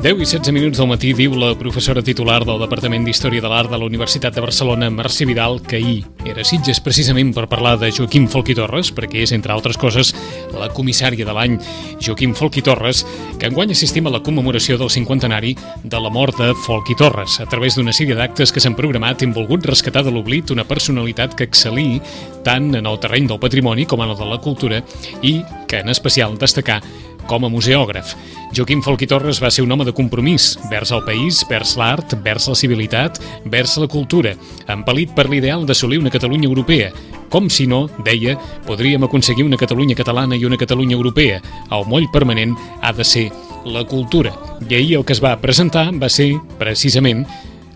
10 i 16 minuts del matí diu la professora titular del Departament d'Història de l'Art de la Universitat de Barcelona, Mercè Vidal, que ahir era a Sitges precisament per parlar de Joaquim Folch i Torres, perquè és, entre altres coses, la comissària de l'any Joaquim Folch i Torres, que enguany assistim a la commemoració del 50enari de la mort de Folch i Torres, a través d'una sèrie d'actes que s'han programat i han volgut rescatar de l'oblit una personalitat que excel·lí tant en el terreny del patrimoni com en el de la cultura i que, en especial, destacar com a museògraf. Joaquim Folch i Torres va ser un home de compromís vers el país, vers l'art, vers la civilitat, vers la cultura, empel·lit per l'ideal d'assolir una Catalunya europea. Com si no, deia, podríem aconseguir una Catalunya catalana i una Catalunya europea. El moll permanent ha de ser la cultura. I ahir el que es va presentar va ser, precisament,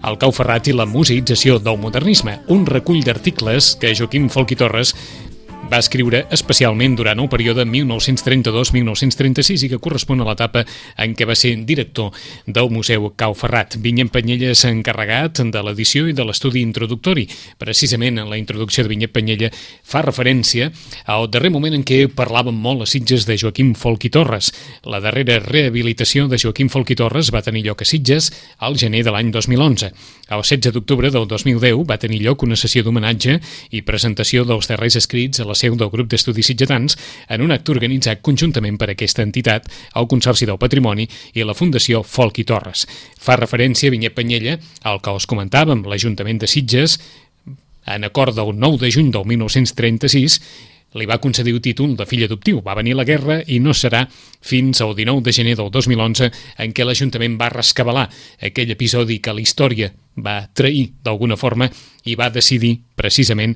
el Cau Ferrat i la museïtzació del modernisme, un recull d'articles que Joaquim Folch i Torres va escriure especialment durant el període 1932-1936 i que correspon a l'etapa en què va ser director del Museu Cau Ferrat. Vinyet Penyella s'ha encarregat de l'edició i de l'estudi introductori. Precisament en la introducció de Vinyet Penyella fa referència al darrer moment en què parlàvem molt a Sitges de Joaquim Folch i Torres. La darrera rehabilitació de Joaquim Folch i Torres va tenir lloc a Sitges al gener de l'any 2011. El 16 d'octubre del 2010 va tenir lloc una sessió d'homenatge i presentació dels darrers escrits a la seu del grup d'estudis sitgetans en un acte organitzat conjuntament per aquesta entitat, el Consorci del Patrimoni i la Fundació Folch i Torres. Fa referència a Vinyet Penyella, al que us comentàvem, l'Ajuntament de Sitges, en acord del 9 de juny del 1936, li va concedir el títol de fill adoptiu. Va venir la guerra i no serà fins al 19 de gener del 2011 en què l'Ajuntament va rescabalar aquell episodi que la història va trair d'alguna forma i va decidir precisament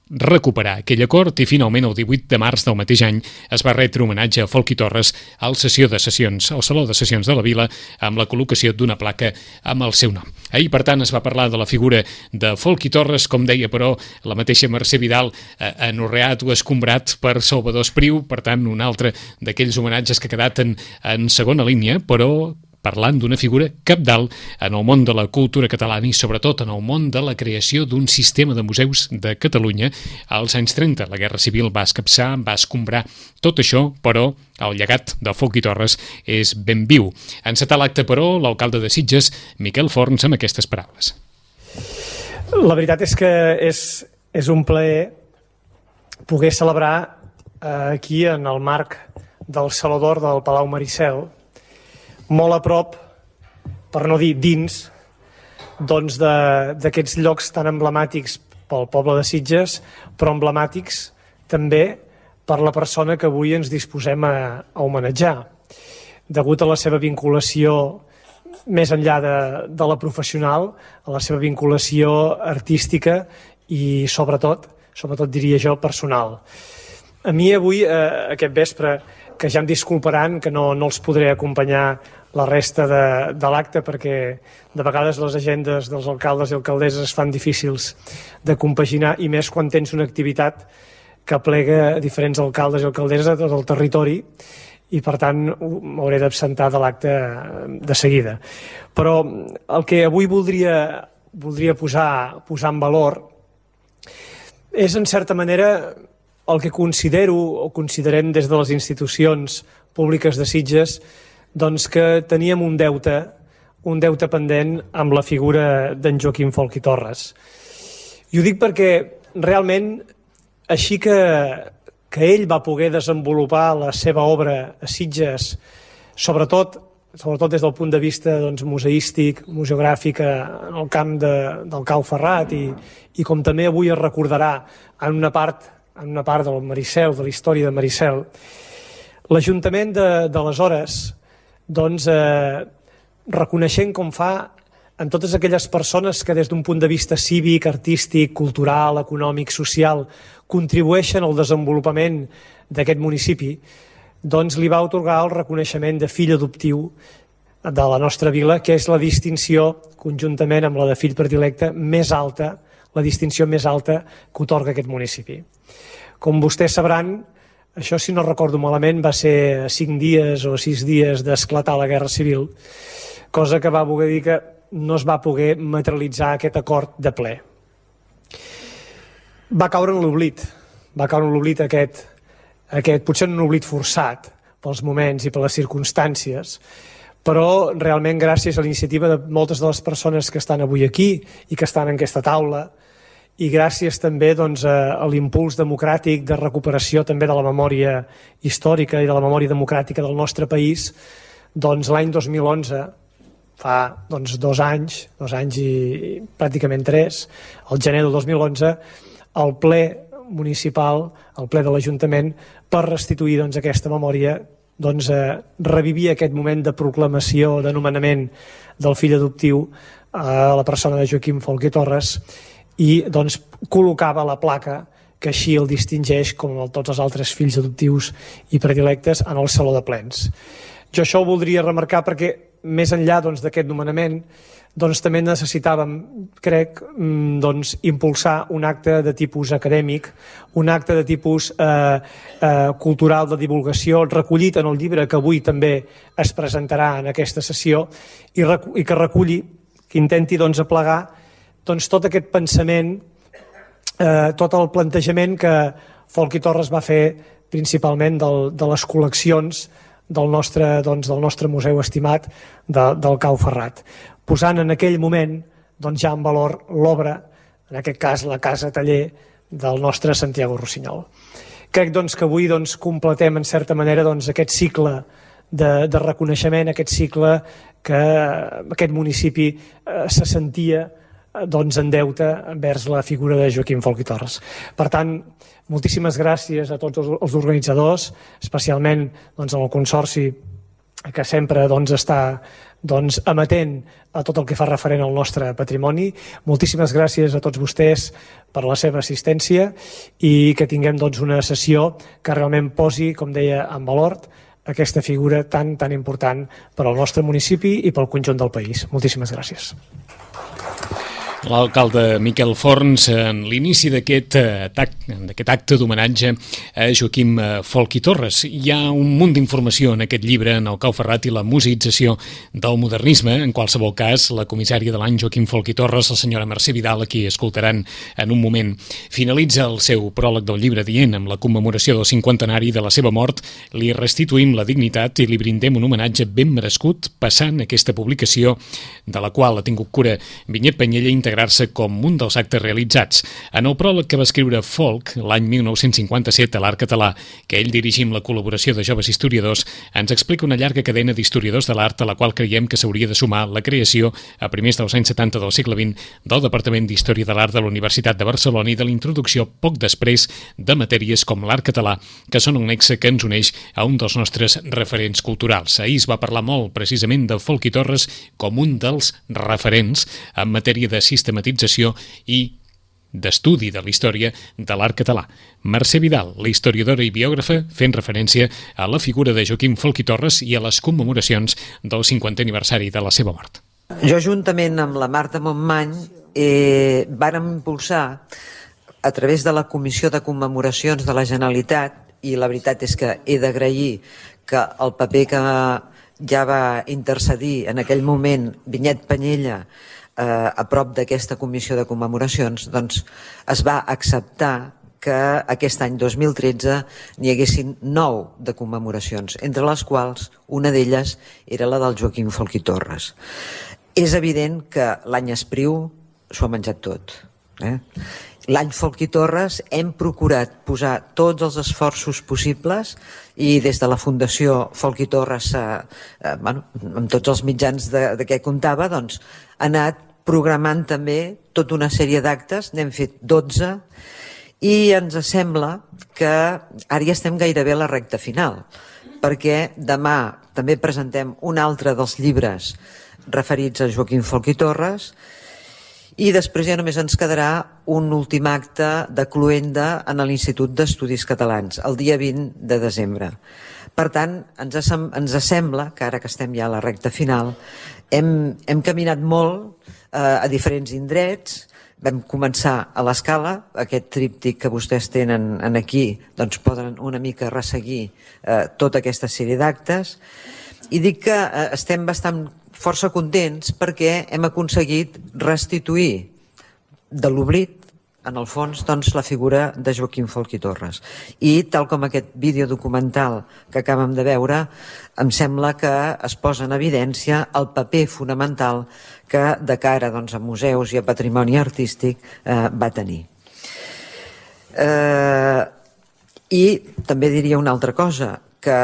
recuperar aquell acord i finalment el 18 de març del mateix any es va retre homenatge a Folch i Torres al Saló de Sessions de la Vila amb la col·locació d'una placa amb el seu nom. Ahir, per tant, es va parlar de la figura de Folch i Torres, com deia, però, la mateixa Mercè Vidal, anorreat o escombrat per Salvador Espriu, per tant, un altre d'aquells homenatges que ha quedat en segona línia, però parlant d'una figura cabdal en el món de la cultura catalana i sobretot en el món de la creació d'un sistema de museus de Catalunya als anys 30. La Guerra Civil va escapçar, va escombrar tot això, però el llegat de Folch i Torres és ben viu. Encetar l'acte, però, l'alcalde de Sitges, Miquel Forns, amb aquestes paraules. La veritat és que és un plaer poder celebrar aquí en el marc del Saló d'Or del Palau Maricel, molt a prop, per no dir dins, doncs d'aquests llocs tan emblemàtics pel poble de Sitges, però emblemàtics també per la persona que avui ens disposem a homenatjar. Degut a la seva vinculació més enllà de la professional, a la seva vinculació artística i sobretot diria jo, personal. A mi avui, aquest vespre, que ja em disculparan que no els podré acompanyar la resta de l'acte perquè de vegades les agendes dels alcaldes i alcaldesses es fan difícils de compaginar i més quan tens una activitat que plega diferents alcaldes i alcaldesses de tot el territori i per tant m'hauré d'absentar de l'acte de seguida. Però el que avui voldria posar en valor és en certa manera el que considero o considerem des de les institucions públiques de Sitges doncs que teníem un deute pendent amb la figura d'en Joaquim Folch i Torres. I ho dic perquè realment així que ell va poder desenvolupar la seva obra a Sitges, sobretot des del punt de vista museístic, museogràfic, en el camp del Cau Ferrat i com també avui es recordarà en una part del Maricel, de la història de Maricel, l'Ajuntament d'aleshores, reconeixent com fa en totes aquelles persones que des d'un punt de vista cívic, artístic, cultural, econòmic, social, contribueixen al desenvolupament d'aquest municipi, doncs li va atorgar el reconeixement de fill adoptiu de la nostra vila, que és la distinció, conjuntament amb la de fill predilecte, més alta, la distinció més alta que atorga aquest municipi. Com vostès sabran, això, si no recordo malament, va ser 5 dies o 6 dies d'esclatar la Guerra Civil, cosa que va voler dir que no es va poder materialitzar aquest acord de ple. Va caure en l'oblit aquest potser un oblit forçat pels moments i per les circumstàncies, però realment gràcies a la iniciativa de moltes de les persones que estan avui aquí i que estan en aquesta taula, i gràcies també doncs, a l'impuls democràtic de recuperació també de la memòria històrica i de la memòria democràtica del nostre país, doncs l'any 2011, fa doncs, 2 anys i pràcticament 3, el gener del 2011, el ple municipal, el ple de l'Ajuntament, per restituir doncs, aquesta memòria, doncs, revivia aquest moment de proclamació, de nomenament del fill adoptiu a la persona de Joaquim Folch i Torres, i doncs, col·locava la placa que així el distingeix com tots els altres fills adoptius i predilectes en el Saló de Plens. Jo això ho voldria remarcar perquè més enllà doncs, d'aquest nomenament doncs, també necessitàvem, crec, doncs, impulsar un acte de tipus acadèmic, un acte de tipus cultural de divulgació, recollit en el llibre que avui també es presentarà en aquesta sessió i que reculli, que intenti doncs, aplegar doncs, tot aquest pensament, tot el plantejament que Folch i Torres va fer principalment de les col·leccions del nostre museu estimat del Cau Ferrat, posant en aquell moment doncs, ja en valor l'obra, en aquest cas la casa taller del nostre Santiago Rossinyol. Crec doncs, que avui doncs, completem en certa manera doncs, aquest cicle de reconeixement, aquest cicle que aquest municipi se sentia doncs, en deute envers la figura de Joaquim Folch i Torres. Per tant, moltíssimes gràcies a tots els organitzadors, especialment doncs, al Consorci, que sempre doncs, està doncs, amatent a tot el que fa referent al nostre patrimoni. Moltíssimes gràcies a tots vostès per la seva assistència i que tinguem doncs, una sessió que realment posi, com deia, en valor aquesta figura tan important per al nostre municipi i pel conjunt del país. Moltíssimes gràcies. L'alcalde Miquel Forns, en l'inici d'aquest acte d'homenatge a Joaquim Folch i Torres. Hi ha un munt d'informació en aquest llibre, en el Cau Ferrat i la museïtzació del modernisme. En qualsevol cas, la comissària de l'any Joaquim Folch i Torres, la senyora Mercè Vidal, a qui escoltaran en un moment, finalitza el seu pròleg del llibre dient: amb la commemoració del 50enari de la seva mort, li restituïm la dignitat i li brindem un homenatge ben merescut, passant aquesta publicació, de la qual ha tingut cura Vinyet Penyella, integrar-se com un dels actes realitzats. En el pròleg que va escriure Folch l'any 1957 a l'Art Català, que ell dirigim la col·laboració de joves historiadors, ens explica una llarga cadena d'historiadors de l'art a la qual creiem que s'hauria de sumar la creació, a primers dels anys 70 del segle XX, del Departament d'Història de l'Art de la Universitat de Barcelona i de la introducció poc després de matèries com l'art català, que són un nexe que ens uneix a un dels nostres referents culturals. Ahir es va parlar molt precisament de Folch i Torres com un dels referents en matèria de sistematització i d'estudi de la història de l'art català. Mercè Vidal, la historiadora i biògrafa, fent referència a la figura de Joaquim Folch i Torres i a les commemoracions del 50è aniversari de la seva mort. Jo, juntament amb la Marta Montmany, vàrem impulsar a través de la Comissió de Commemoracions de la Generalitat, i la veritat és que he d'agrair que el paper que ja va intercedir en aquell moment Vinyet Penyella a prop d'aquesta comissió de commemoracions, doncs es va acceptar que aquest any 2013 n'hi haguessin 9 de commemoracions, entre les quals una d'elles era la del Joaquim Folch i Torres. És evident que l'any Espriu s'ho ha menjat tot. L'any Folch i Torres hem procurat posar tots els esforços possibles i des de la Fundació Folch i Torres, amb tots els mitjans de què comptava, doncs, ha anat programant també tota una sèrie d'actes, n'hem fet 12, i ens sembla que ara ja estem gairebé a la recta final, perquè demà també presentem un altre dels llibres referits a Joaquim Folch i Torres, i després ja només ens quedarà un últim acte de cloenda en l'Institut d'Estudis Catalans, el dia 20 de desembre. Per tant, ens sembla que ara que estem ja a la recta final, hem caminat molt a diferents indrets. Vam començar a l'Escala, aquest tríptic que vostès tenen aquí, doncs poden una mica resseguir tota aquesta sèrie d'actes, i dic que estem bastant força contents perquè hem aconseguit restituir de l'oblit en el fons, doncs, la figura de Joaquim Folch i Torres. I tal com aquest vídeo documental que acabem de veure, em sembla que es posa en evidència el paper fonamental que de cara, doncs, a museus i a patrimoni artístic va tenir. I també diria una altra cosa, que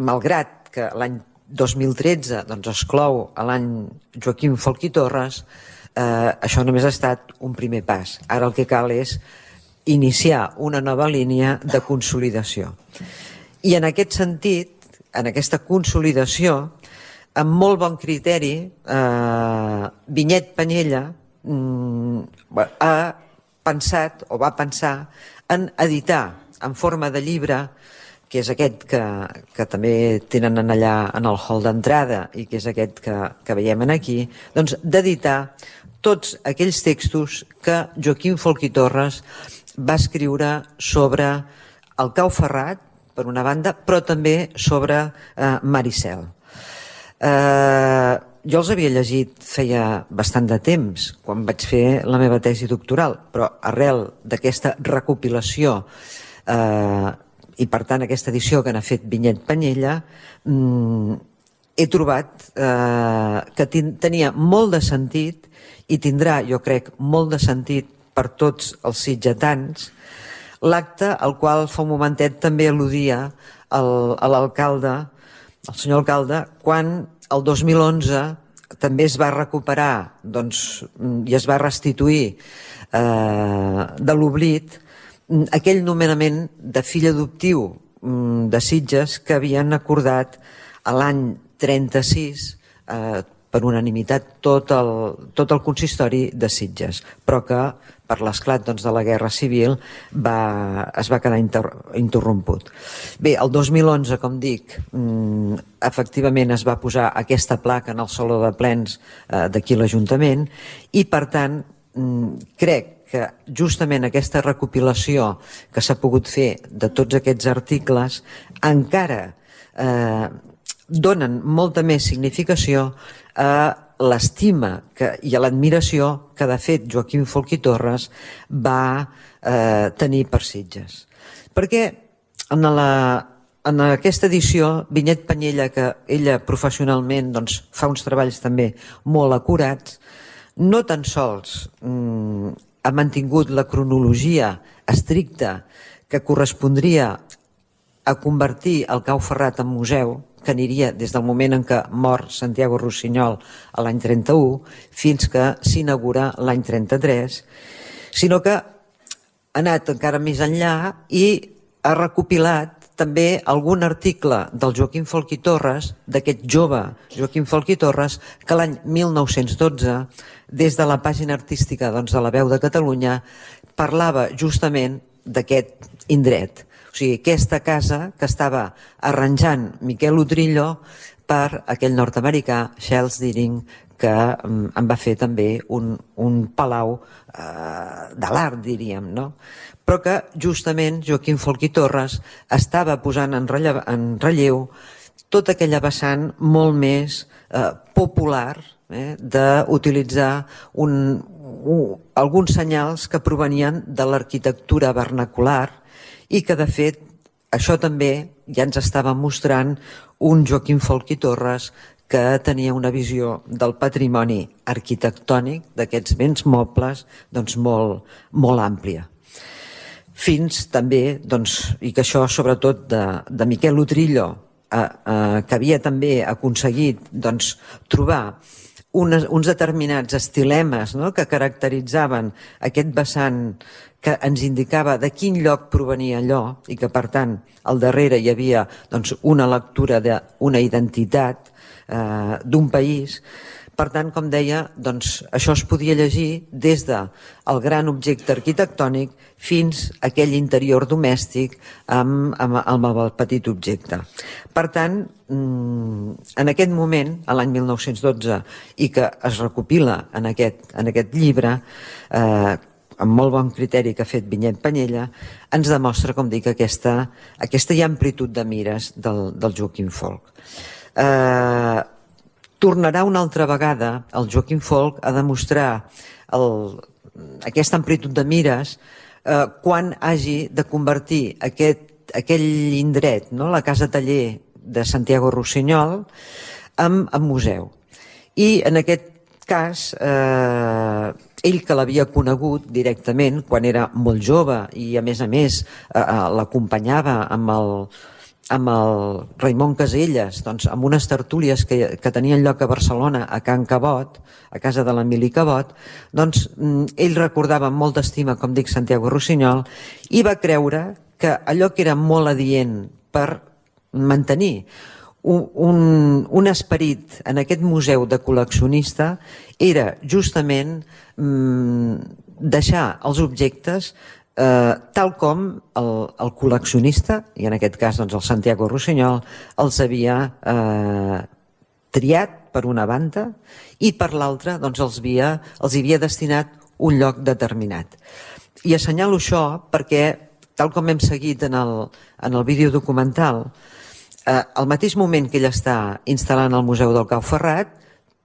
malgrat que l'any 2013 doncs, es clou a l'any Joaquim Folch i Torres, això només ha estat un primer pas. Ara el que cal és iniciar una nova línia de consolidació. I en aquest sentit, en aquesta consolidació, amb molt bon criteri, Vinyet Penyella ha pensat o va pensar en editar en forma de llibre, que és aquest que també tenen allà en el hall d'entrada i que és aquest que veiem aquí, doncs d'editar tots aquells textos que Joaquim Folch i Torres va escriure sobre el Cau Ferrat, per una banda, però també sobre Maricel. Jo els havia llegit feia bastant de temps, quan vaig fer la meva tesi doctoral, però arrel d'aquesta recopilació i per tant aquesta edició que n'ha fet Vinyet Penyella, he trobat que tenia molt de sentit i tindrà, jo crec, molt de sentit per tots els sitgetans, l'acte al qual fa un momentet també al·ludia a l'alcalde, el senyor alcalde, quan el 2011 també es va recuperar i es va restituir de l'oblit aquell nomenament de fill adoptiu de Sitges que havien acordat l'any 36 per unanimitat tot el consistori de Sitges, però que per l'esclat de la Guerra Civil es va quedar interromput. Bé, el 2011, com dic, efectivament es va posar aquesta placa en el Saló de Plens d'aquí l'Ajuntament i, per tant, crec que justament aquesta recopilació que s'ha pogut fer de tots aquests articles encara donen molta més significació a l'estima i a l'admiració que de fet Joaquim Folch i Torres va tenir per Sitges. Perquè en aquesta edició, Vinyet Penyella, que ella professionalment fa uns treballs també molt acurats, no tan sols ha mantingut la cronologia estricta que correspondria a convertir el Cau Ferrat en museu, que aniria des del moment en què mor Santiago Rossinyol a l'any 31 fins que s'inaugura l'any 33, sinó que ha anat encara més enllà i ha recopilat també algun article del Joaquim Folch i Torres, d'aquest jove Joaquim Folch i Torres, que l'any 1912, des de la pàgina artística de La Veu de Catalunya, parlava justament d'aquest indret. O sigui, aquesta casa que estava arranjant Miquel Utrillo per aquell nord-americà, Charles Deering, que en va fer també un palau de l'art, diríem, no? Però que justament Joaquim Folch i Torres estava posant en relleu tota aquella vessant molt més popular, d'utilitzar alguns senyals que provenien de l'arquitectura vernacular i que, de fet, això també ja ens estava mostrant un Joaquim Folch i Torres que tenia una visió del patrimoni arquitectònic d'aquests béns mobles molt àmplia. Fins també, i que això sobretot de Miquel Utrillo, que havia també aconseguit trobar uns determinats estilemes que caracteritzaven aquest vessant que ens indicava de quin lloc provenia allò i que, per tant, al darrere hi havia una lectura d'una identitat d'un país. Per tant, com deia, això es podia llegir des del gran objecte arquitectònic fins a aquell interior domèstic amb el petit objecte. Per tant, en aquest moment, a l'any 1912, i que es recopila en aquest llibre, amb molt bon criteri que ha fet Vinyet Penyella, ens demostra, com dic, aquesta amplitud de mires del Joaquim Folch. Tornarà una altra vegada el Joaquim Folch a demostrar aquesta amplitud de mires quan hagi de convertir aquell indret, no? La casa taller de Santiago Rossinyol, en museu. I en aquest cas, ell que l'havia conegut directament quan era molt jove i a més l'acompanyava amb el Raimon Caselles, doncs, amb unes tertúlies que tenien lloc a Barcelona, a Can Cabot, a casa de l'Emili Cabot, doncs ell recordava amb molta estima, com dic, Santiago Rossinyol, i va creure que allò que era molt adient per mantenir un esperit en aquest museu de col·leccionista era justament deixar els objectes tal com el col·leccionista, i en aquest cas doncs, el Santiago Rossinyol, els havia triat per una banda i per l'altra doncs, els havia destinat un lloc determinat. I assenyalo això perquè, tal com hem seguit en el vídeo documental, al mateix moment que ell està instal·lant el Museu del Cau Ferrat,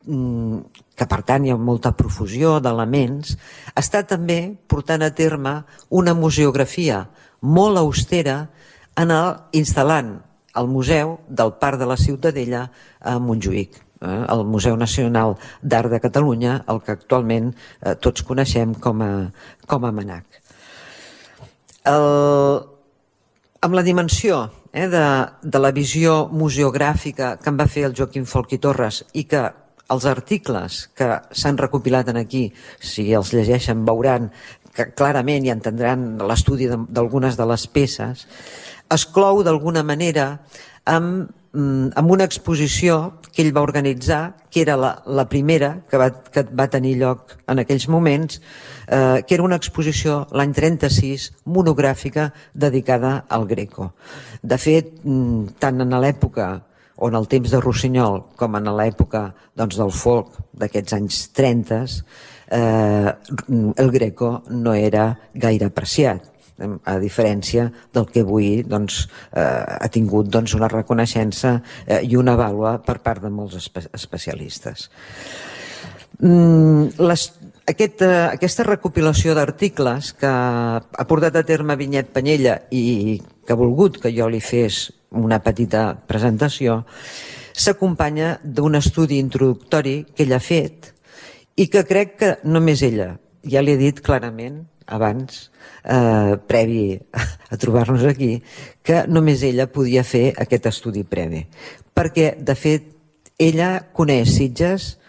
que per tant hi ha molta profusió d'elements, està també portant a terme una museografia molt austera instal·lant el Museu del Parc de la Ciutadella a Montjuïc, el Museu Nacional d'Art de Catalunya, el que actualment tots coneixem com a MNAC. Amb la dimensió de la visió museogràfica que en va fer el Joaquim Folch i Torres i que els articles que s'han recopilat aquí, si els llegeixen veuran que clarament i entendran l'estudi d'algunes de les peces, es clou d'alguna manera amb una exposició que ell va organitzar, que era la primera que va tenir lloc en aquells moments, que era una exposició l'any 36 monogràfica dedicada al Greco. De fet, tant en l'època o en el temps de Rossinyol com en l'època del folk d'aquests anys 30, el Greco no era gaire apreciat, a diferència del que avui ha tingut una reconeixença i una vàlua per part de molts especialistes. Aquesta recopilació d'articles que ha portat a terme Vinyet Penyella i que ha volgut que jo li fes una petita presentació, s'acompanya d'un estudi introductori que ella ha fet i que crec que només ella, ja li he dit clarament abans, previ a trobar-nos aquí, que només ella podia fer aquest estudi previ. Perquè, de fet, ella coneix Sitges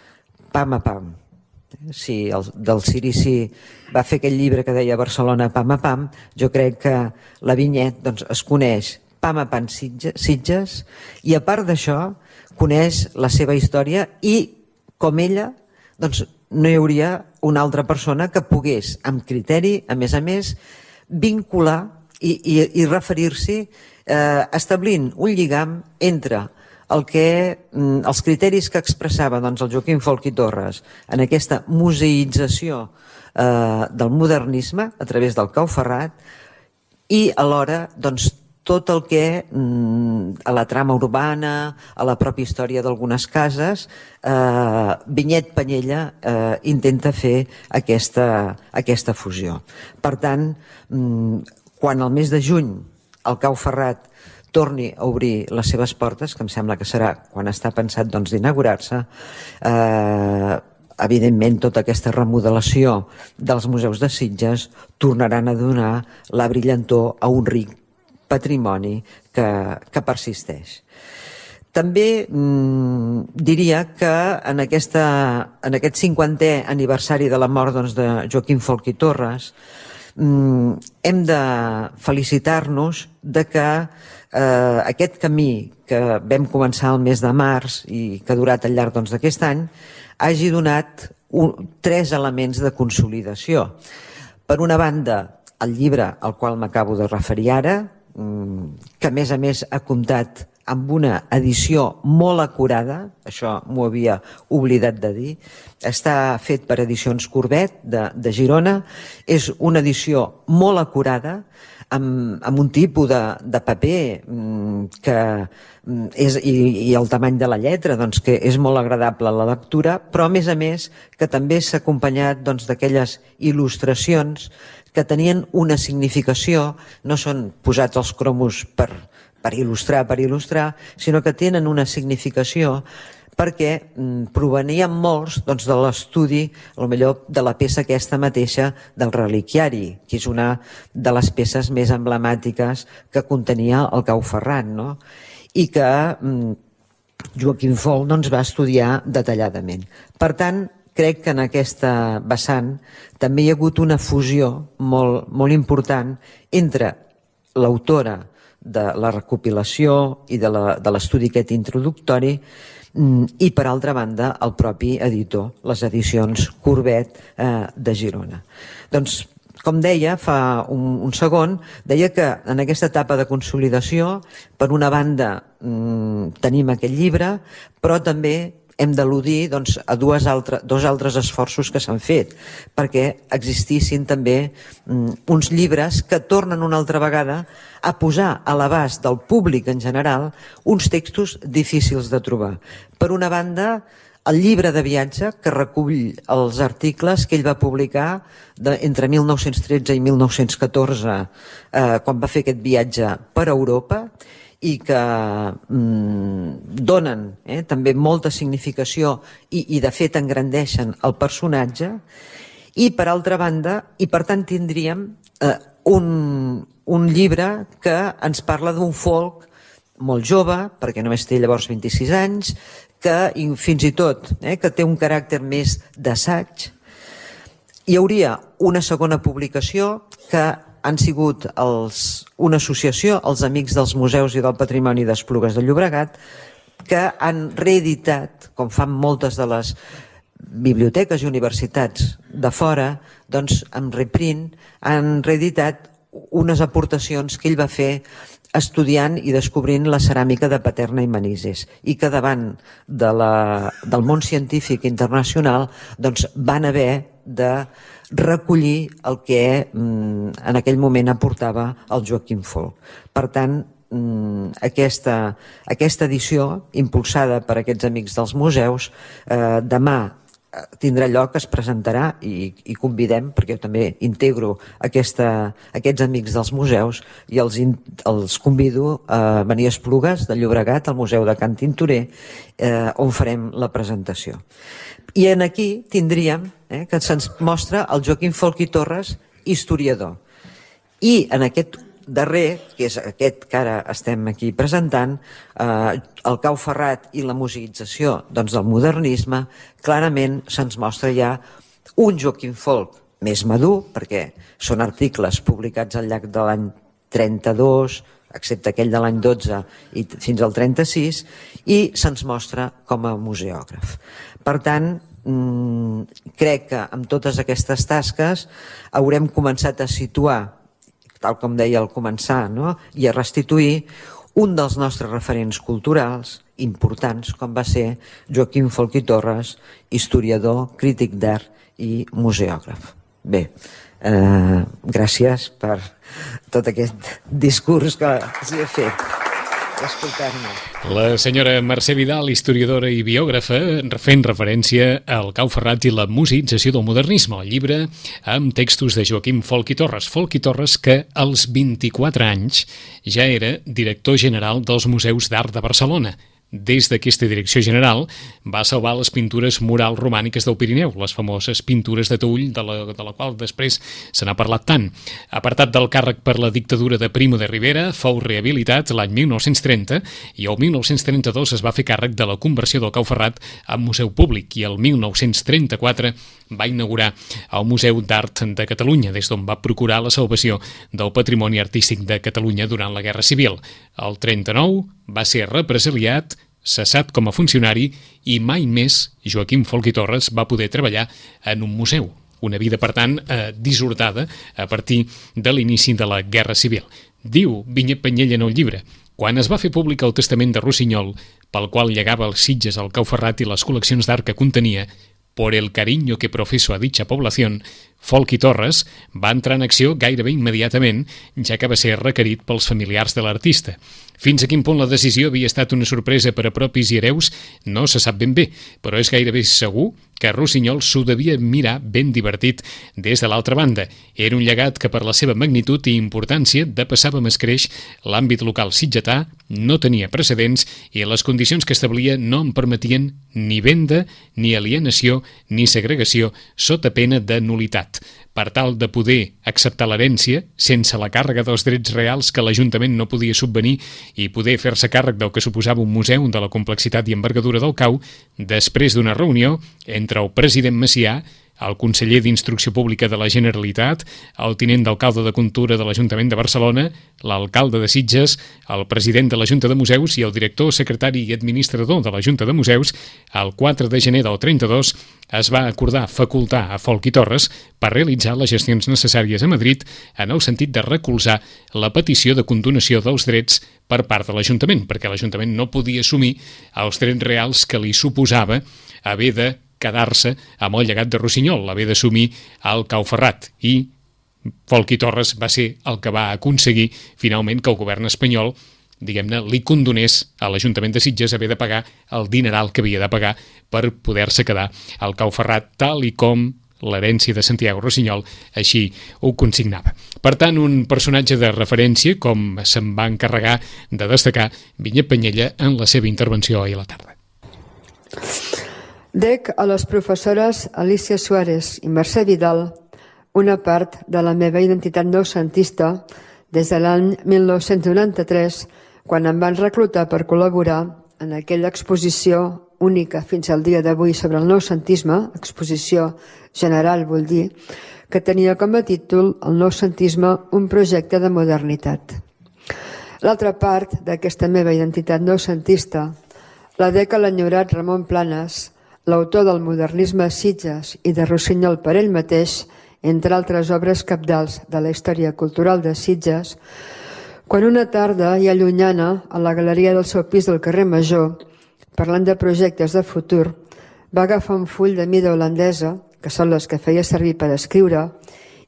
pam a pam. Si del Cirici va fer aquell llibre que deia Barcelona pam a pam, jo crec que la Vinyet es coneix pam a pam Sitges i a part d'això coneix la seva història i com ella no hi hauria una altra persona que pogués amb criteri, a més, vincular i referir-s'hi establint un lligam entre els criteris que expressava el Joaquim Folch i Torres en aquesta museïtzació del modernisme a través del Cau Ferrat i alhora tot el que a la trama urbana, a la pròpia història d'algunes cases, Vinyet Penyella intenta fer aquesta fusió. Per tant, quan el mes de juny el Cau Ferrat torni a obrir les seves portes, que em sembla que serà quan està pensat d'inaugurar-se, evidentment tota aquesta remodelació dels museus de Sitges tornaran a donar la brillantor a un ric patrimoni que persisteix. També diria que en aquest 50è aniversari de la mort de Joaquim Folch i Torres hem de felicitar-nos que aquest camí que vam començar el mes de març i que ha durat al llarg d'aquest any hagi donat 3 elements de consolidació. Per una banda, el llibre al qual m'acabo de referir ara, que a més ha comptat amb una edició molt acurada, això m'ho havia oblidat de dir, està fet per Edicions Corbet de Girona, és una edició molt acurada amb un tipus de paper que és, i el tamany de la lletra, doncs, que és molt agradable a la lectura, però a més que també s'ha acompanyat d'aquelles il·lustracions que tenien una significació, no són posats els cromos per il·lustrar, sinó que tenen una significació perquè provenien molts de l'estudi, potser de la peça aquesta mateixa del reliquiari, que és una de les peces més emblemàtiques que contenia el Cau Ferrat, no? I que Joaquim Folch va estudiar detalladament. Per tant, crec que en aquesta vessant també hi ha hagut una fusió molt, molt important entre l'autora de la recopilació i de l'estudi aquest introductori i, per altra banda, el propi editor, les edicions Courbet de Girona. Doncs, com deia fa un segon, deia que en aquesta etapa de consolidació, per una banda, tenim aquest llibre, però també hem d'al·ludir a dos altres esforços que s'han fet, perquè existissin també uns llibres que tornen una altra vegada a posar a l'abast del públic en general uns textos difícils de trobar. Per una banda, el llibre de viatge, que recull els articles que ell va publicar entre 1913 i 1914, quan va fer aquest viatge per Europa, i que donen també molta significació i de fet engrandeixen el personatge, i per altra banda, i per tant tindríem un llibre que ens parla d'un folk molt jove, perquè només té llavors 26 anys, que fins i tot que té un caràcter més d'assaig. Hi hauria una segona publicació que han sigut una associació, els Amics dels Museus i del Patrimoni d'Esplugues de Llobregat, que han reeditat, com fan moltes de les biblioteques i universitats de fora, doncs amb reprint, han reeditat unes aportacions que ell va fer estudiant i descobrint la ceràmica de Paterna i Manises, i que davant del món científic internacional doncs van haver de recollir el que en aquell moment aportava el Joaquim Folch. Per tant, aquesta edició, impulsada per aquests Amics dels Museus, demà tindrà lloc, es presentarà, i convidem, perquè jo també integro aquests Amics dels Museus, i els convido a venir a Esplugues de Llobregat, al Museu de Can Tintorer, on farem la presentació. I aquí tindríem que se'ns mostra el Joaquim Folch i Torres, historiador. I en aquest darrer, que és aquest que ara estem aquí presentant, el Cau Ferrat i la musicització del modernisme, clarament se'ns mostra ja un Joaquim Folch més madur, perquè són articles publicats al llarg de l'any 32, excepte aquell de l'any 12 i fins al 36, i se'ns mostra com a museògraf. Per tant, crec que amb totes aquestes tasques haurem començat a situar, tal com deia al començar, i a restituir un dels nostres referents culturals importants, com va ser Joaquim Folch i Torres, historiador, crític d'art i museògraf. Bé, gràcies per tot aquest discurs que els he fet. La senyora Mercè Vidal, historiadora i biògrafa, fent referència al Cau Ferrat i la musicització del modernisme, el llibre amb textos de Joaquim Folch i Torres. Folch i Torres, que als 24 anys ja era director general dels Museus d'Art de Barcelona. Des d'aquesta direcció general va salvar les pintures murals romàniques del Pirineu, les famoses pintures de Tull, de la qual després se n'ha parlat tant. Apartat del càrrec per la dictadura de Primo de Rivera, fou rehabilitat l'any 1930 i el 1932 es va fer càrrec de la conversió del Cau Ferrat en museu públic, i el 1934 va inaugurar el Museu d'Art de Catalunya, des d'on va procurar la salvació del patrimoni artístic de Catalunya durant la Guerra Civil. El 39 va ser represaliat, cessat com a funcionari, i mai més Joaquim Folch i Torres va poder treballar en un museu. Una vida, per tant, dissortada a partir de l'inici de la Guerra Civil. Diu Vinyet Penyella en el llibre: quan es va fer públic el testament de Rossinyol, pel qual llegava els Sitges al Cau Ferrat i les col·leccions d'art que contenia, por el cariño que profeso a dicha población, Folchi Torres, va entrar en acció gairebé immediatament, ja que va ser requerit pels familiars de l'artista. Fins a quin punt la decisió havia estat una sorpresa per a propis i hereus no se sap ben bé, però és gairebé segur que Rossinyol s'ho devia mirar ben divertit des de l'altra banda. Era un llegat que per la seva magnitud i importància depassava amb escreix l'àmbit local sitgetà, no tenia precedents i les condicions que establia no en permetien ni venda, ni alienació, ni segregació sota pena de nulitat. Per tal de poder acceptar l'herència, sense la càrrega dels drets reals que l'Ajuntament no podia subvenir i poder fer-se càrrec del que suposava un museu de la complexitat i envergadura del cau, després d'una reunió entre el president Macià, el conseller d'Instrucció Pública de la Generalitat, el tinent d'alcalde de Cultura de l'Ajuntament de Barcelona, l'alcalde de Sitges, el president de la Junta de Museus i el director, secretari i administrador de la Junta de Museus, el 4 de gener del 32 es va acordar facultar a Folchi Torres per realitzar les gestions necessàries a Madrid en el sentit de recolzar la petició de condonació dels drets per part de l'Ajuntament, perquè l'Ajuntament no podia assumir els drets reals que li suposava haver de quedar-se amb el llegat de Rossinyol, haver d'assumir el Cau Ferrat, i Folchi Torres va ser el que va aconseguir finalment que el govern espanyol, diguem-ne, li condonés a l'Ajuntament de Sitges haver de pagar el dineral que havia de pagar per poder-se quedar al Cau Ferrat, tal i com l'herència de Santiago Rossinyol així ho consignava. Per tant, un personatge de referència, com se'n va encarregar de destacar Vinyet Peñella en la seva intervenció ahir a la tarda. Dec a les professores Alicia Suárez i Mercè Vidal una part de la meva identitat noucentista des de l'any 1993, quan em van reclutar per col·laborar en aquella exposició única fins al dia d'avui sobre el noucentisme, exposició general vull dir, que tenia com a títol el noucentisme, un projecte de modernitat. L'altra part d'aquesta meva identitat noucentista la dec a l'enyorat Ramon Planes, l'autor del modernisme a Sitges i de Rossinyol per ell mateix, entre altres obres cabdals de la història cultural de Sitges, quan una tarda i allunyana a la galeria del seu pis del carrer Major, parlant de projectes de futur, va agafar un full de mida holandesa, que són les que feia servir per escriure,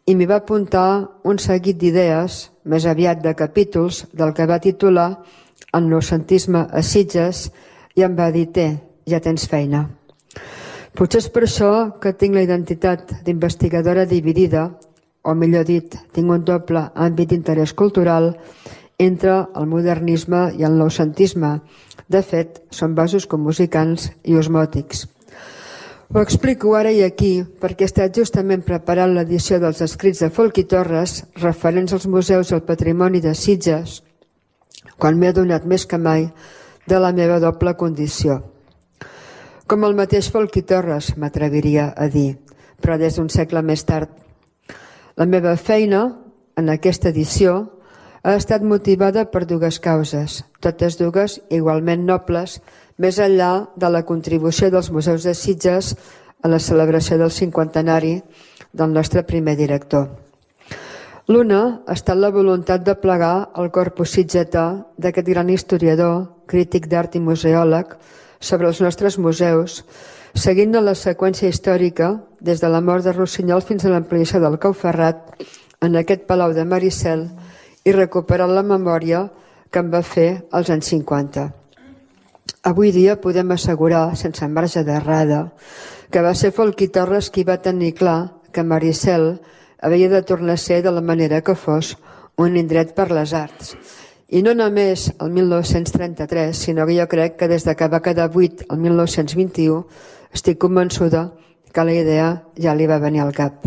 i m'hi va apuntar un seguit d'idees, més aviat de capítols, del que va titular El noucentisme a Sitges, i em va dir: ja tens feina. Potser és per això que tinc la identitat d'investigadora dividida, o millor dit, tinc un doble àmbit d'interès cultural entre el modernisme i el noucentisme. De fet, són vasos comusicants i osmòtics. Ho explico ara i aquí perquè he estat justament preparant l'edició dels escrits de Folchi Torres referents als museus i al patrimoni de Sitges, quan m'he adonat més que mai de la meva doble condició. Com el mateix Folchi Torres, m'atreviria a dir, però des d'un segle més tard. La meva feina en aquesta edició ha estat motivada per dues causes, totes dues igualment nobles, més enllà de la contribució dels museus de Sitges a la celebració del 50enari del nostre primer director. L'una ha estat la voluntat de plegar el corpus sitgetà d'aquest gran historiador, crític d'art i museòleg, sobre els nostres museus, seguint la seqüència històrica des de la mort de Rossinyol fins a l'ampliació del Cau Ferrat en aquest Palau de Maricel i recuperant la memòria que en va fer als anys 50. Avui dia podem assegurar, sense marge d'errada, que va ser Folchi Torres qui va tenir clar que Maricel havia de tornar a ser de la manera que fos un indret per les arts. I no només el 1933, sinó que jo crec que des que va quedar buit el 1921 estic convençuda que la idea ja li va venir al cap.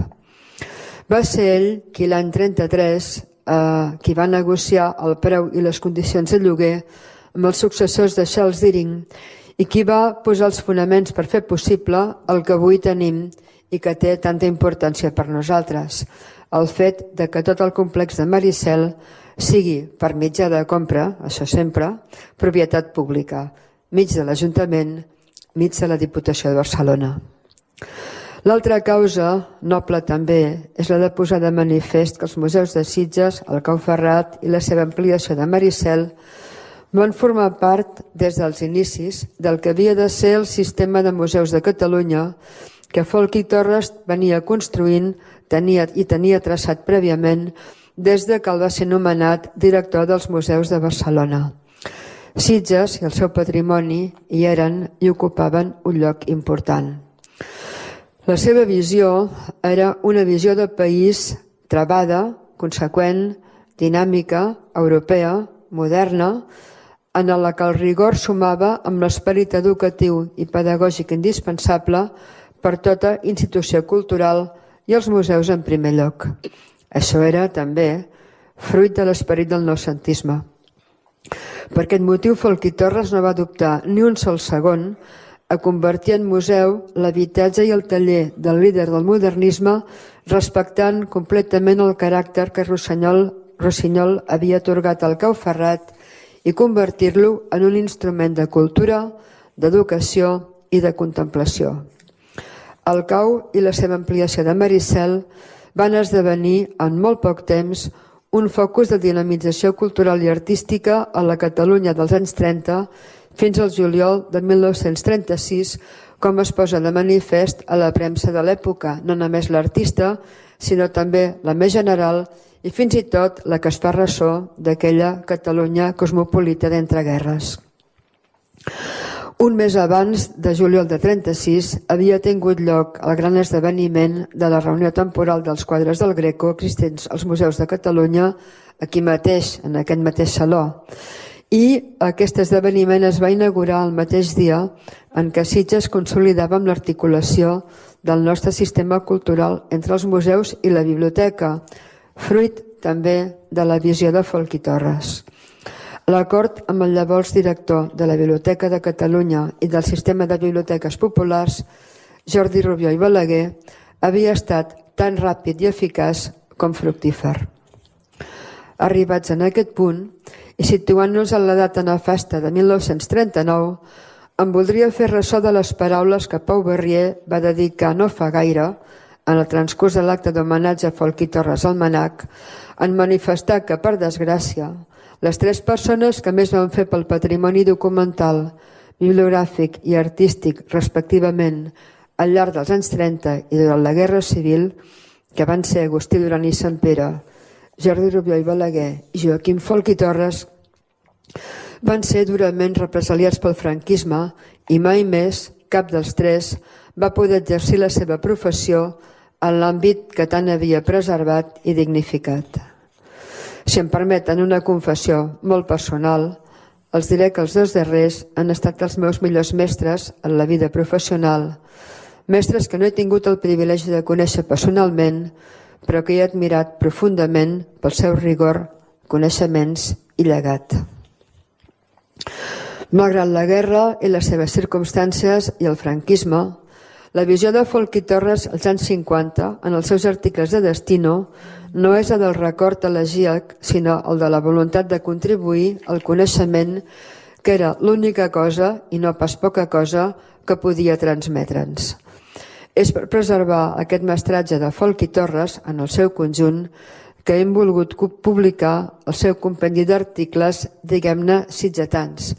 Va ser ell qui l'any 33 qui va negociar el preu i les condicions de lloguer amb els successors de Charles Deering i qui va posar els fonaments per fer possible el que avui tenim i que té tanta importància per nosaltres, el fet de que tot el complex de Maricel sigui per mitjà de compra, això sempre, propietat pública, mig de l'Ajuntament, mig de la Diputació de Barcelona. L'altra causa, noble també, és la de posar de manifest que els museus de Sitges, el Cau Ferrat i la seva ampliació de Maricel van formar part, des dels inicis, del que havia de ser el sistema de museus de Catalunya que Folchi Torres venia construint tenia traçat prèviament des de que el va ser nomenat director dels museus de Barcelona. Sitges i el seu patrimoni hi eren i ocupaven un lloc important. La seva visió era una visió de país travada, conseqüent, dinàmica, europea, moderna, en la que el rigor sumava amb l'esperit educatiu i pedagògic indispensable per tota institució cultural i els museus en primer lloc. Això era també fruit de l'esperit del noucentisme. Per aquest motiu, Folch i Torres no va dubtar ni un sol segon a convertir en museu l'habitatge i el taller del líder del modernisme, respectant completament el caràcter que Rossinyol havia atorgat al Cau Ferrat i convertir-lo en un instrument de cultura, d'educació i de contemplació. El Cau i la seva ampliació de Maricel van esdevenir en molt poc temps un focus de dinamització cultural i artística a la Catalunya dels anys 30 fins al juliol de 1936, com es posa de manifest a la premsa de l'època, no només l'artista, sinó també la més general i fins i tot la que es fa ressò d'aquella Catalunya cosmopolita d'entreguerres. Un mes abans de juliol de 36 havia tingut lloc el gran esdeveniment de la reunió temporal dels quadres del Greco existents als museus de Catalunya, aquí mateix, en aquest mateix saló. I aquest esdeveniment es va inaugurar el mateix dia en què Sitges consolidava amb l'articulació del nostre sistema cultural entre els museus i la biblioteca, fruit també de la visió de Folch i Torres. L'acord amb el llavors director de la Biblioteca de Catalunya i del sistema de biblioteques populars, Jordi Rubió i Balaguer, havia estat tan ràpid i eficaç com fructífer. Arribats en aquest punt, i situant-nos en la data nefasta de 1939, em voldria fer ressò de les paraules que Pau Barrier va dedicar no fa gaire, en el transcurs de l'acte d'homenatge a Folch i Torres al Mnac, en manifestar que, per desgràcia, les tres persones que més van fer pel patrimoni documental, bibliogràfic i artístic, respectivament, al llarg dels anys 30 i durant la Guerra Civil, que van ser Agustí Duran i Santpere, Jordi Rubió i Balaguer i Joaquim Folch i Torres, van ser durament represaliats pel franquisme i mai més cap dels tres va poder exercir la seva professió en l'àmbit que tant havia preservat i dignificat. Si em permeten una confessió molt personal, els diré que els dos darrers han estat els meus millors mestres en la vida professional, mestres que no he tingut el privilegi de conèixer personalment, però que he admirat profundament pel seu rigor, coneixements i llegat. Malgrat la guerra i les seves circumstàncies i el franquisme, la visió de Folch i Torres als anys 50, en els seus articles de Destino, no és el del record elegíac, sinó el de la voluntat de contribuir al coneixement, que era l'única cosa, i no pas poca cosa, que podia transmetre'ns. És per preservar aquest mestratge de Folch i Torres en el seu conjunt que hem volgut publicar el seu compendi d'articles, diguem-ne, sitgetans.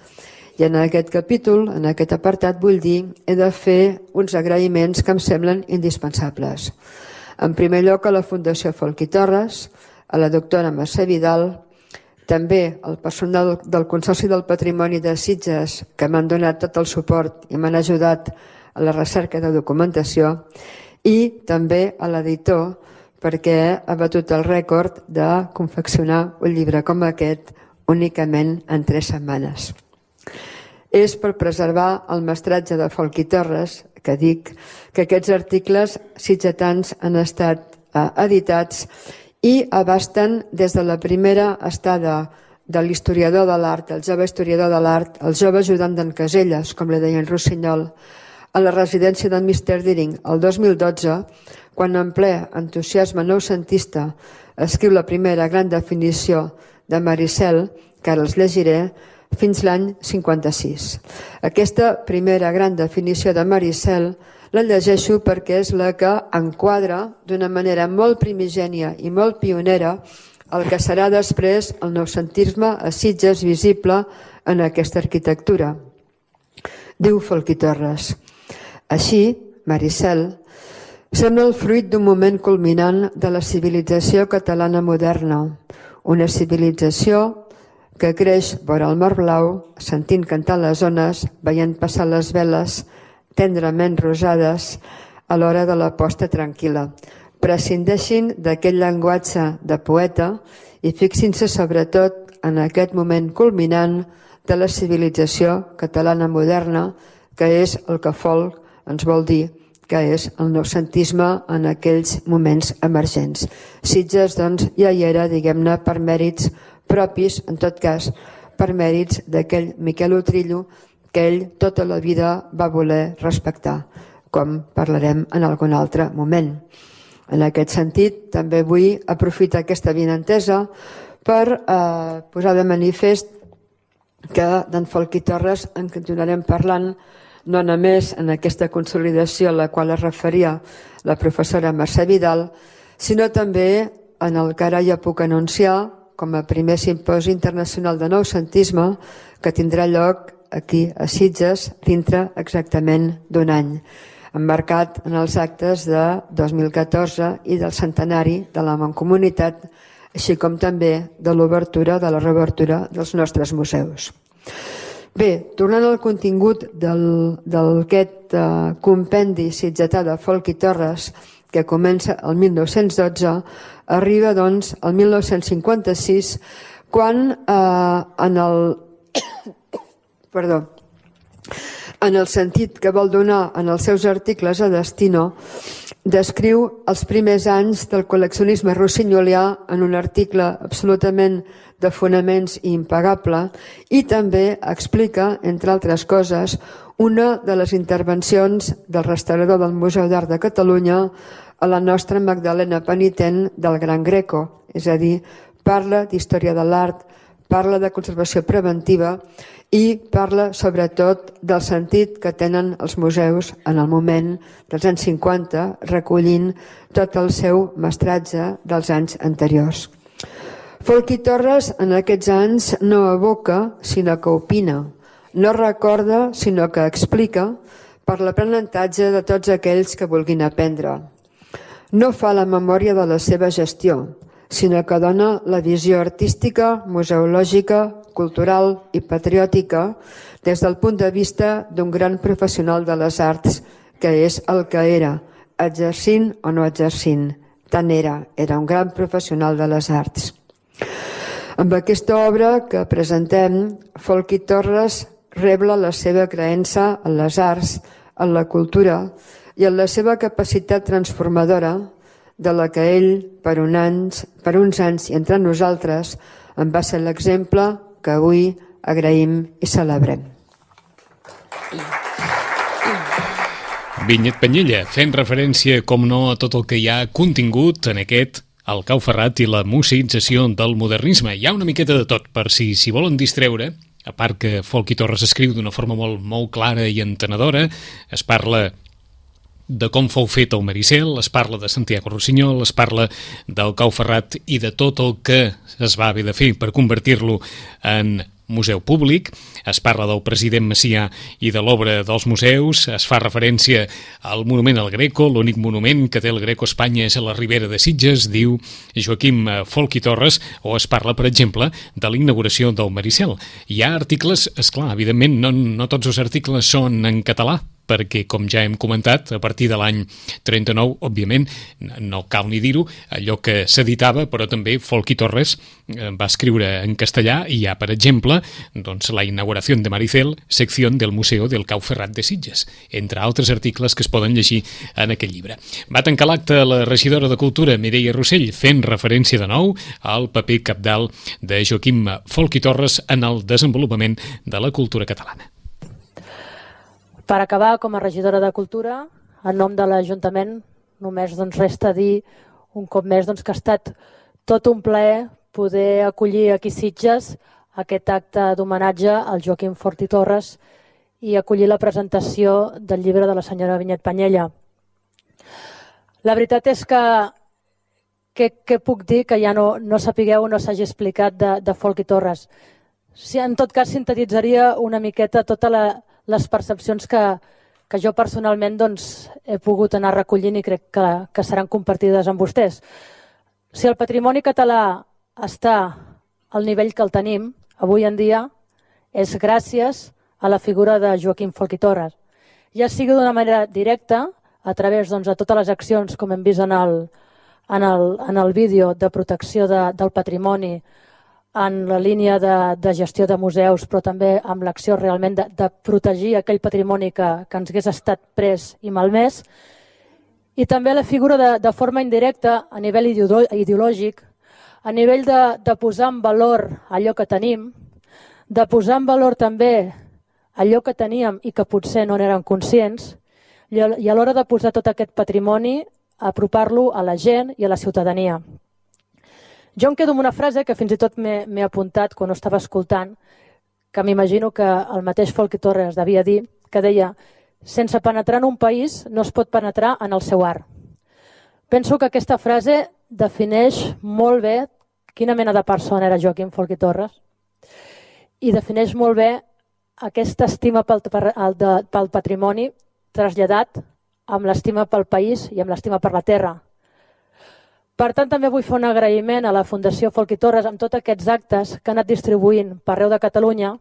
I en aquest capítol, en aquest apartat, vull dir, he de fer uns agraïments que em semblen indispensables. En primer lloc, a la Fundació Folch i Torres, a la doctora Mercè Vidal, també al personal del Consorci del Patrimoni de Sitges, que m'han donat tot el suport i m'han ajudat a la recerca de documentació, i també a l'editor, perquè ha batut el rècord de confeccionar un llibre com aquest únicament en 3 setmanes. És per preservar el mestratge de Folch i Torres que dic que aquests articles sitgetans han estat editats i abasten des de la primera estada de l'historiador de l'art, el jove historiador de l'art, el jove ajudant d'en Caselles, com li deien Rossinyol, a la residència de Mr. Deering el 2012, quan en ple entusiasme noucentista escriu la primera gran definició de Maricel, que ara els llegiré, fins l'any 56. Aquesta primera gran definició de Maricel la llegeixo perquè és la que enquadra d'una manera molt primigènia i molt pionera el que serà després el noucentisme a Sitges visible en aquesta arquitectura. Diu Folch i Torres: així, Maricel, Són el fruit d'un moment culminant de la civilització catalana moderna, una civilització que creix vora el mar blau, sentint cantar les ones, veient passar les veles tendrament rosades a l'hora de la posta tranquil·la. Prescindeixin d'aquest llenguatge de poeta i fixin-se sobretot en aquest moment culminant de la civilització catalana moderna, que és el que Folk ens vol dir, que és el noucentisme en aquells moments emergents. Sitges, doncs, ja hi era, diguem-ne, per mèrits propis, en tot cas, per mèrits d'aquell Miquel Utrillo que ell tota la vida va voler respectar, com parlarem en algun altre moment. En aquest sentit, també vull aprofitar aquesta avinentesa per posar de manifest que d'en Folk i Torres en continuarem parlant no només en aquesta consolidació a la qual es referia la professora Mercè Vidal, sinó també en el que ara ja puc anunciar com a primer simposi internacional de noucentisme que tindrà lloc aquí a Sitges dintre exactament d'un any, emmarcat en els actes de 2014 i del centenari de la Mancomunitat, així com també de l'obertura, de la reobertura dels nostres museus. Bé, tornant al contingut d'aquest compendi sitgetà de Folk i Torres, que comença el 1912, arriba doncs al 1956, quan en el sentit que vol donar en els seus articles a Destino, descriu els primers anys del col·leccionisme rossinyolià en un article absolutament de fonaments i impagable, i també explica, entre altres coses, una de les intervencions del restaurador del Museu d'Art de Catalunya a la nostra Magdalena penitent del Gran Greco, és a dir, parla d'història de l'art, parla de conservació preventiva i parla sobretot del sentit que tenen els museus en el moment dels anys 50, recollint tot el seu mestratge dels anys anteriors. Folk i Torres en aquests anys no evoca, sinó que opina, no recorda, sinó que explica per l'aprenentatge de tots aquells que vulguin aprendre. No fa la memòria de la seva gestió, sinó que dona la visió artística, museològica, cultural i patriòtica des del punt de vista d'un gran professional de les arts, que és el que era, exercint o no exercint. Tant era un gran professional de les arts. Amb aquesta obra que presentem, Folk i Torres rebla la seva creença en les arts, en la cultura i en la seva capacitat transformadora, de la que ell, per uns anys i entre nosaltres, en va ser l'exemple que avui agraïm i celebrem. Vinyet Penyella, fent referència, com no, a tot el que hi ha contingut en aquest El cau ferrat i la museïtzació del modernisme. Hi ha una miqueta de tot, per si volen distreure, a part que Folk i Torres escriu d'una forma molt clara i entenedora, es parla de com fou fet el Maricel, es parla de Santiago Rossinyol, es parla del cau ferrat i de tot el que es va haver de fer per convertir-lo en museu públic, es parla del president Macià i de l'obra dels museus, es fa referència al monument al Greco, l'únic monument que té el Greco a Espanya és a la Ribera de Sitges, diu Joaquim Folk i Torres, o es parla, per exemple, de la inauguració del Maricel. Hi ha articles, esclar, evidentment, no tots els articles són en català, perquè, com ja hem comentat, a partir de l'any 39, òbviament, no cal ni dir-ho, allò que s'editava, però també Folk i Torres va escriure en castellà i hi ha, per exemple, doncs, la inauguració de Maricel, secció del Museu del Cau Ferrat de Sitges, entre altres articles que es poden llegir en aquest llibre. Va tancar l'acte la regidora de Cultura, Mireia Rossell, fent referència de nou al paper cabdal de Joaquim Folk i Torres en el desenvolupament de la cultura catalana. Per acabar, com a regidora de Cultura, en nom de l'Ajuntament, només resta dir un cop més que ha estat tot un plaer poder acollir aquí a Sitges aquest acte d'homenatge al Joaquim Folk i Torres i acollir la presentació del llibre de la senyora Vinyet Penyella. La veritat és que què puc dir que ja no sapigueu o no s'hagi explicat de Folk i Torres? En tot cas, sintetitzaria una miqueta totes les percepcions que que jo personalment he pogut anar recollint i crec que seran compartides amb vostès. Si el patrimoni català està al nivell que el tenim avui en dia és gràcies a la figura de Joaquim Folch i Torres. Ja sigui d'una manera directa, a través de totes les accions, com hem vist en el vídeo de protecció del patrimoni, en la línia de gestió de museus, però també amb l'acció realment de protegir aquell patrimoni que ens hagués estat pres i malmès, i també la figura de forma indirecta a nivell ideològic, a nivell de posar en valor allò que tenim, de posar en valor també allò que teníem i que potser no n'érem conscients, i a l'hora de posar tot aquest patrimoni, apropar-lo a la gent i a la ciutadania. Jo em quedo amb una frase que fins i tot m'he apuntat quan ho estava escoltant, que m'imagino que el mateix Folch i Torres devia dir, que deia: sense penetrar en un país no es pot penetrar en el seu art. Penso que aquesta frase defineix molt bé quina mena de persona era Joaquim Folch i Torres i defineix molt bé aquesta estima pel patrimoni traslladat amb l'estima pel país i amb l'estima per la terra. Per tant, també vull fer un agraïment a la Fundació Folch i Torres amb tots aquests actes que ha anat distribuint per arreu de Catalunya,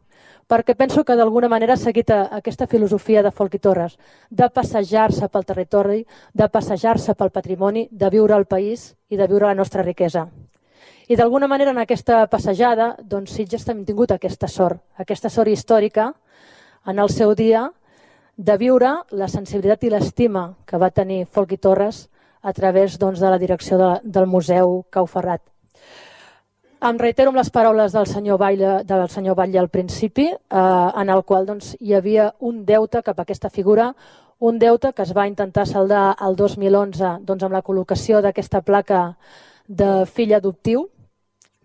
perquè penso que d'alguna manera ha seguit aquesta filosofia de Folch i Torres, de passejar-se pel territori, de passejar-se pel patrimoni, de viure al país i de viure la nostra riquesa. I d'alguna manera en aquesta passejada, Sitges també ha tingut aquesta sort històrica en el seu dia de viure la sensibilitat i l'estima que va tenir Folch i Torres a través de la direcció del Museu Cau Ferrat. Em reitero amb les paraules del senyor Batlle al principi, en el qual hi havia un deute cap a aquesta figura, un deute que es va intentar saldar el 2011 amb la col·locació d'aquesta placa de fill adoptiu,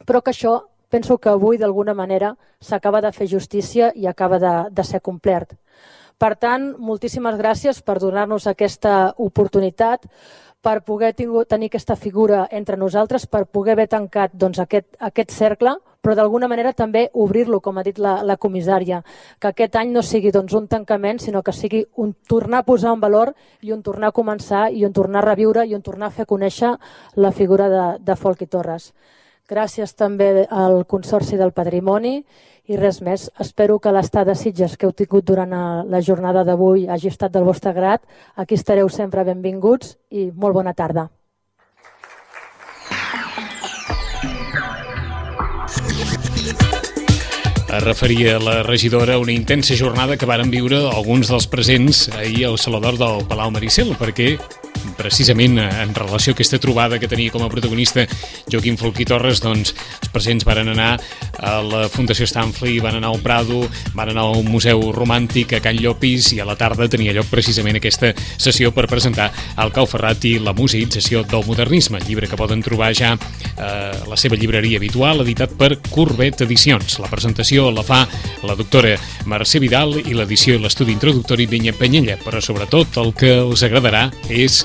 però que això penso que avui d'alguna manera s'acaba de fer justícia i acaba de ser complert. Per tant, moltíssimes gràcies per donar-nos aquesta oportunitat, per poder tenir aquesta figura entre nosaltres, per poder haver tancat aquest cercle, però d'alguna manera també obrir-lo, com ha dit la comissària, que aquest any no sigui un tancament, sinó que sigui un tornar a posar en valor i un tornar a començar i un tornar a reviure i un tornar a fer conèixer la figura de Folch i Torres. Gràcies també al Consorci del Patrimoni i res més. Espero que l'estat de Sitges que heu tingut durant la jornada d'avui hagi estat del vostre grat. Aquí estareu sempre benvinguts i molt bona tarda. Es referia la regidora a una intensa jornada que varen viure alguns dels presents ahir al Saló d'Or del Palau Maricel, perquè precisament en relació a aquesta trobada que tenia com a protagonista Joaquim Folch i Torres, els presents varen anar a la Fundació Stanley, van anar al Prado, van anar al Museu Romàntic a Can Llopis, i a la tarda tenia lloc precisament aquesta sessió per presentar el Cau Ferrat i la museïtzació del modernisme, llibre que poden trobar ja a la seva llibreria habitual, editat per Corbet Edicions. La presentació la fa la doctora Mercè Vidal i l'edició i l'estudi introductori Vinyet Penyella, però sobretot el que els agradarà és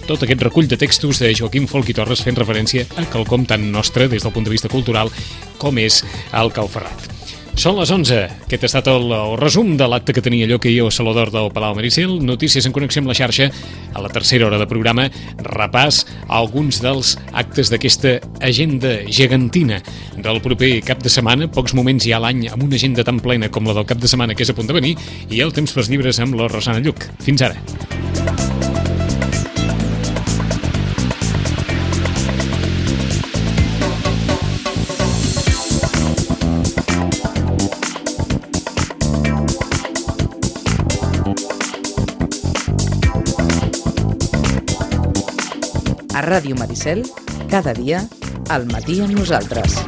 tot aquest recull de textos de Joaquim Folch i Torres fent referència a quelcom tan nostre des del punt de vista cultural com és el Cau Ferrat. Són les 11. Aquest ha estat el resum de l'acte que tenia lloc ahir al Saló d'Or del Palau Maricel. Notícies en connexió amb la xarxa. A la tercera hora de programa, repàs a alguns dels actes d'aquesta agenda gegantina del proper cap de setmana. Pocs moments hi ha a l'any amb una agenda tan plena com la del cap de setmana que és a punt de venir, i hi ha el temps pels llibres amb la Rosana Lluc. Fins ara. A Ràdio Maricel, cada dia, al matí amb nosaltres.